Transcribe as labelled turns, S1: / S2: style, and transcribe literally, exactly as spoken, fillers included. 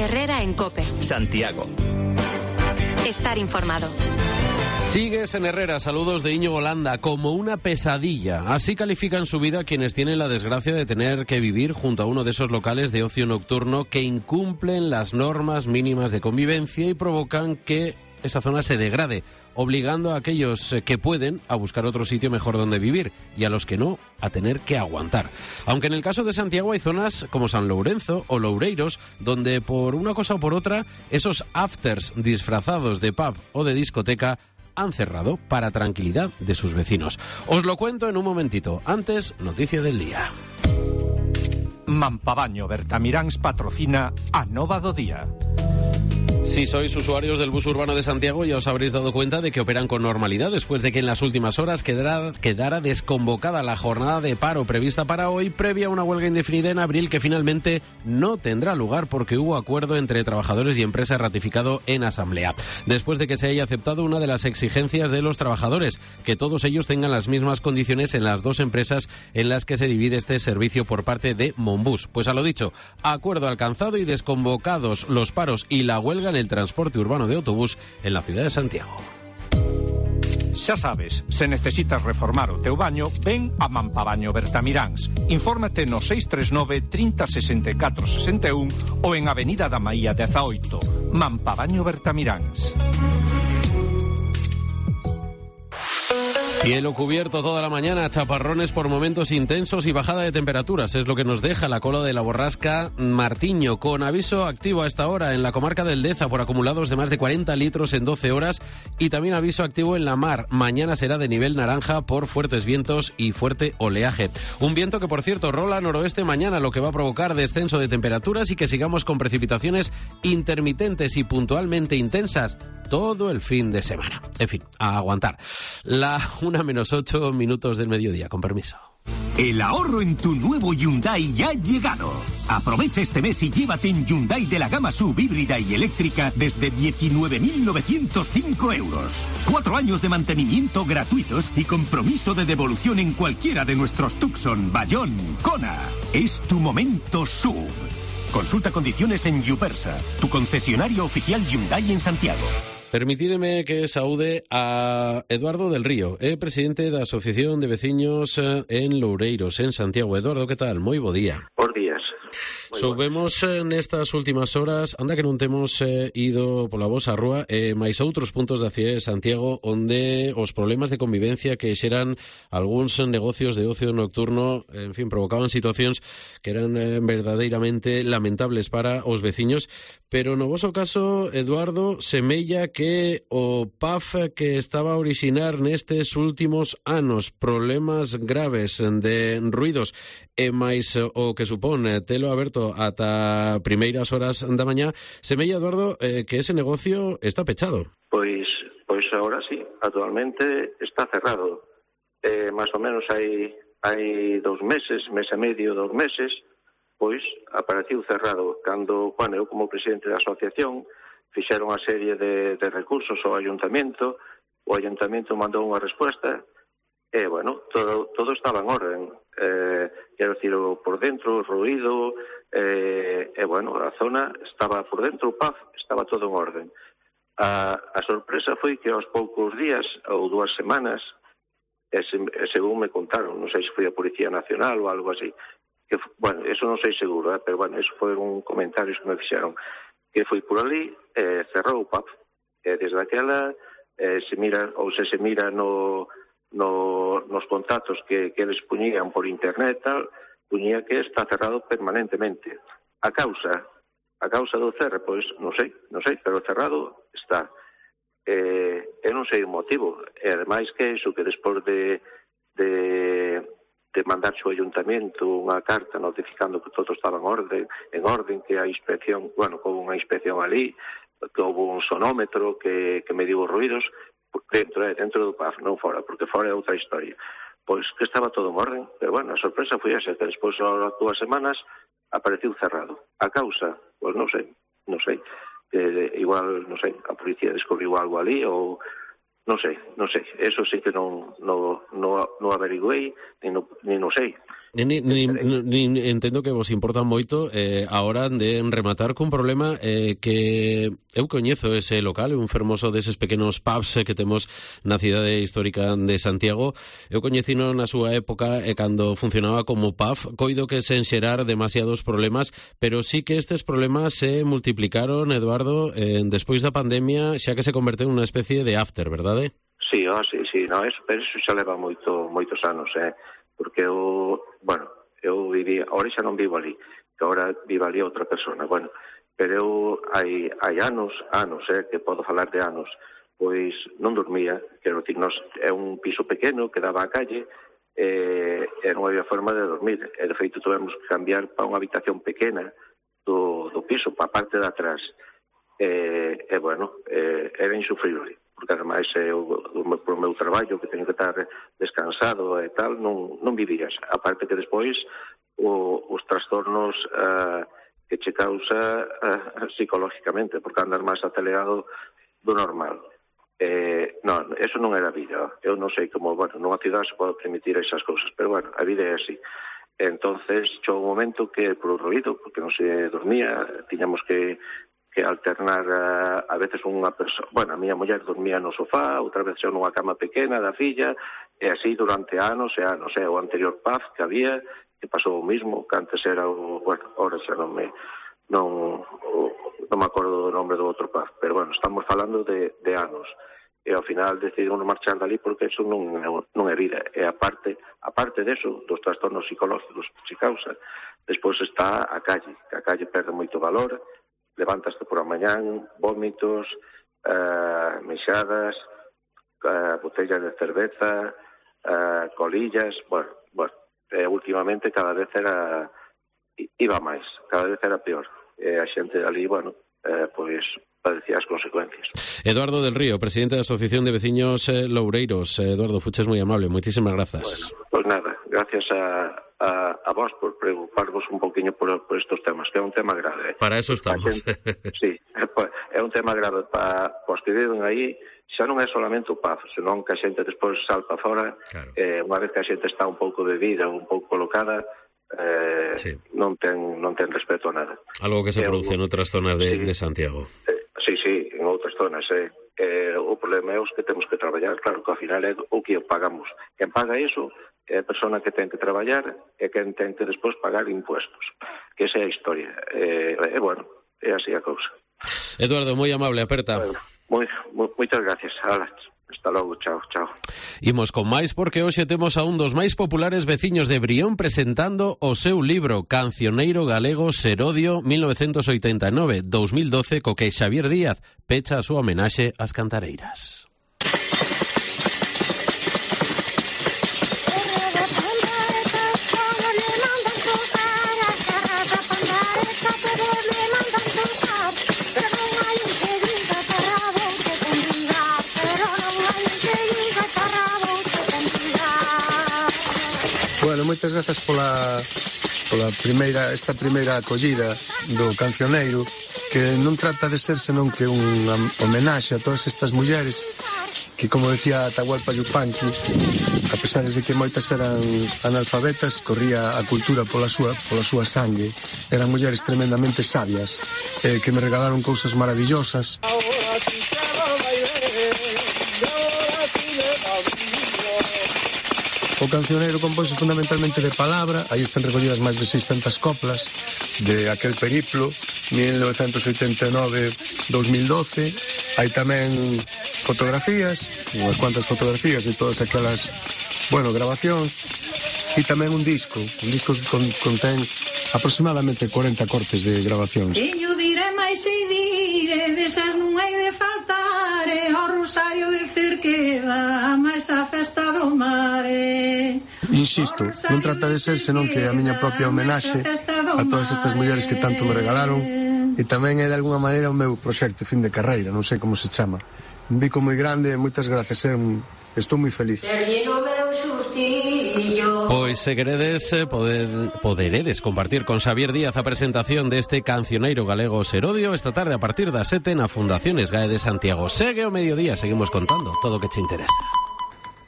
S1: Herrera en COPE.
S2: Santiago.
S1: Estar informado.
S3: Sigues en Herrera, saludos de Íñigo Landa. Como una pesadilla, así califican su vida quienes tienen la desgracia de tener que vivir junto a uno de esos locales de ocio nocturno que incumplen las normas mínimas de convivencia y provocan que esa zona se degrade, obligando a aquellos que pueden a buscar otro sitio mejor donde vivir y a los que no a tener que aguantar. Aunque en el caso de Santiago hay zonas como San Lourenço o Loureiros donde por una cosa o por otra esos afters disfrazados de pub o de discoteca han cerrado para tranquilidad de sus vecinos. Os lo cuento en un momentito. Antes, noticia del día.
S4: Mampabaño Bertamiráns patrocina a Nova do Día.
S3: Si sois usuarios del bus urbano de Santiago, ya os habréis dado cuenta de que operan con normalidad después de que en las últimas horas quedara, quedara desconvocada la jornada de paro prevista para hoy, previa a una huelga indefinida en abril que finalmente no tendrá lugar porque hubo acuerdo entre trabajadores y empresa ratificado en asamblea. Después de que se haya aceptado una de las exigencias de los trabajadores, que todos ellos tengan las mismas condiciones en las dos empresas en las que se divide este servicio por parte de Monbus. Pues a lo dicho, acuerdo alcanzado y desconvocados los paros y la huelga en el transporte urbano de autobús en la ciudad de Santiago.
S4: Xa sabes, se necesitas reformar o teu baño, ven a Mampabaño Bertamiráns. Infórmate no seis tres nove, trinta, sesenta e catro, sesenta e un ou en Avenida da Maía dezaoito. Mampabaño Bertamiráns.
S3: Cielo cubierto toda la mañana, chaparrones por momentos intensos y bajada de temperaturas. Es lo que nos deja la cola de la borrasca Martiño, con aviso activo a esta hora en la comarca del Deza por acumulados de más de cuarenta litros en doce horas y también aviso activo en la mar. Mañana será de nivel naranja por fuertes vientos y fuerte oleaje. Un viento que, por cierto, rola noroeste mañana, lo que va a provocar descenso de temperaturas y que sigamos con precipitaciones intermitentes y puntualmente intensas todo el fin de semana. En fin, a aguantar. La una menos ocho minutos del mediodía, con permiso.
S5: El ahorro en tu nuevo Hyundai ya ha llegado. Aprovecha este mes y llévate en Hyundai de la gama sub híbrida y eléctrica desde diecinueve mil novecientos cinco euros. Cuatro años de mantenimiento gratuitos y compromiso de devolución en cualquiera de nuestros Tucson, Bayón, Kona. Es tu momento sub. Consulta condiciones en Yupersa, tu concesionario oficial Hyundai en Santiago.
S3: Permitideme que saúde a Eduardo del Río, é presidente da Asociación de Veciños en Loureiros, en Santiago. Eduardo, que tal? Moi bo día.
S6: Bos días.
S3: Soubemos nestas últimas horas, anda que non temos eh, ido pola vosa rúa, eh, máis a outros puntos da cidade de Santiago onde os problemas de convivencia que xeran algúns negocios de ocio nocturno, en fin, provocaban situacións que eran eh, verdadeiramente lamentables para os veciños, pero no voso caso, Eduardo, semella que o P A F que estaba a orixinar nestes últimos anos problemas graves de ruidos e máis o que supón telo aberto ata primeiras horas da mañá, semella, Eduardo, eh, que ese negocio está pechado.
S6: Pois pois agora sí, actualmente está cerrado. Eh, máis ou menos hai hai dous meses, mes e medio, dous meses, pois apareceu cerrado. Cando, bueno, eu como presidente da asociación fixeron unha serie de, de recursos ao ayuntamento, o ayuntamento mandou unha resposta e, bueno, todo, todo estaba en orden. Eh, quero dicir, por dentro, o ruído, eh, e, bueno, a zona estaba por dentro, o P A F, estaba todo en orden. A, a sorpresa foi que aos poucos días, ou dúas semanas, e, se, e según me contaron, non sei se foi a Policía Nacional ou algo así, que, bueno, eso non sei seguro, eh, pero, bueno, eso foron comentarios que me fixeron, que foi por ali, eh, cerrou o P A F, e desde aquela eh, se mira, ou se se mira no... No, nos contactos que, que eles puñían por internet tal, puñía que está cerrado permanentemente. A causa, a causa do cerre, pois, non sei, non sei, pero cerrado está. Eh, eu non sei o motivo. E ademais que iso que despois de, de, de mandar ao ayuntamento unha carta notificando que todo estaba en orden, en orden, que a inspección, bueno, que houve unha inspección ali, que houve un sonómetro que, que mediu os ruidos, dentro, eh, dentro do P A F, non fora, porque fora é outra historia. Pois que estaba todo en orden, pero, bueno, a sorpresa foi esa, que despois, as dúas semanas, apareceu cerrado. A causa, pois non sei, non sei. Eh, igual, non sei, a policía descubriu algo ali, ou non sei, non sei. Eso sí que non, non, non, non averiguei, ni non, ni non sei.
S3: Ni, ni, ni, ni entendo que vos importa moito eh, a hora de rematar cun problema eh, que eu coñezo ese local, un fermoso deses pequenos pubs eh, que temos na cidade histórica de Santiago. Eu coñecino na súa época e eh, cando funcionaba como pub, coido que sen xerar demasiados problemas, pero sí que estes problemas se multiplicaron, Eduardo, eh, despois da pandemia, xa que se converteu nunha especie de after, verdade?
S6: Sí, oh, sí, sí, no, eso, pero eso xa leva moito, moitos anos, eh? Porque eu, bueno, eu viví, ahora xa non vivo ali, que ahora vive ali outra persona, bueno, pero eu hai, hai anos, anos, eh, que podo falar de anos, pois non dormía, quero dicir, nos, é un piso pequeno que daba á calle, e, e non había forma de dormir, e de feito tuvemos que cambiar para unha habitación pequena do, do piso, para a parte de atrás, e, e bueno, e, era insufrible, porque ademais eu, por o meu traballo, que teño que estar descansado e tal, non, non vivías. Aparte que despois o, os trastornos uh, que che causa uh, psicológicamente, porque andas máis acelerado do normal. Eh, non, eso non era vida. Eu non sei como, bueno, nunha cidade se pode permitir esas cousas, pero bueno, a vida é así. Entonces, chegou un momento que, por o ruido, porque non se dormía, tiñamos que que alternar a, a veces unha persoa, bueno, a miña muller dormía no sofá, outra vez xa nunha cama pequena da filla, e así durante anos e anos, e o anterior pub que había, que pasou o mismo, que antes era o, bueno, ahora xa non me, non, o, non me acordo do nome do outro pub, pero bueno, estamos falando de, de anos, e ao final decidimos marchar dali porque eso non, non é vida, e aparte, aparte deso, dos trastornos psicológicos que se causa, despois está a calle, que a calle perde moito valor, levantaste por a mañán, vómitos, uh, mexadas, uh, botellas de cerveza, uh, colillas, bueno, bueno, eh, últimamente cada vez era, iba máis, cada vez era peor. E a xente ali, bueno, eh, pois padecía as consecuencias.
S3: Eduardo del Río, presidente da Asociación de Veciños eh, Loureiros. Eduardo, fuches moi amable, moitísimas grazas.
S6: Bueno, pois nada, gracias a, a, a vos por preocuparvos un poquinho por, por estos temas, que é un tema grave.
S3: Para eso estamos.
S6: Xente, sí, é un tema grave para os que viven aí, xa non é solamente o pub, senón que a xente despois salta fora, claro. eh, unha vez que a xente está un pouco bebida, un pouco colocada, eh, sí. non ten non ten respeto a nada.
S3: Algo que se eh, produce en outras zonas de,
S6: sí,
S3: de Santiago.
S6: Eh, sí, sí, en outras zonas, eh. Eh, o problema é os que temos que traballar, claro, que ao final é o que pagamos. Quen paga iso é a persona que ten que traballar e quen ten que despois pagar impuestos, que esa é a historia. E, eh, eh, bueno, é así a cousa.
S3: Eduardo, moi amable, aperta.
S6: Bueno, moi, moi, moitas gracias. Hala, hasta logo, chao, chao.
S3: Imos con máis porque hoxe temos a un dos máis populares veciños de Brión presentando o seu libro Cancioneiro Galego Serodio mil novecentos oitenta e nove a dos mil doce, co que Xavier Díaz pecha a súa homenaxe ás cantareiras.
S2: Bueno, moitas grazas pola, pola primeira, esta primeira acollida do Cancioneiro, que non trata de ser senón que unha homenaxe a todas estas mulleres que, como decía Atahualpa Yupanqui, a pesar de que moitas eran analfabetas, corría a cultura pola súa, pola súa sangue. Eran mulleres tremendamente sabias, eh, que me regalaron cousas maravillosas. O Cancioneiro compónse fundamentalmente de palabra, aí están recollidas máis de seiscentas coplas de aquel periplo, mil novecentos oitenta e nove a dos mil doce. Hai tamén fotografías, unhas cuantas fotografías de todas aquelas, bueno, grabacións, e tamén un disco, un disco que con, contén aproximadamente corenta cortes de grabacións.
S7: E yo diré máis e diré, desas non hai de faltar, e o rosario de Cerqueda, máis a festa do mare.
S2: Insisto, non trata de ser senón que a miña propia homenaxe a todas estas mulleres que tanto me regalaron, e tamén é de alguna maneira o meu proxecto fin de carreira, non sei como se chama. Un bico moi grande, moitas gracias, eh? Estou moi feliz.
S3: Pois se queredes poder, poderedes compartir con Xavier Díaz a presentación deste Cancioneiro Galego Serodio esta tarde a partir das sete na Fundación Esgae de Santiago. Segue o mediodía, seguimos contando todo o que te interesa.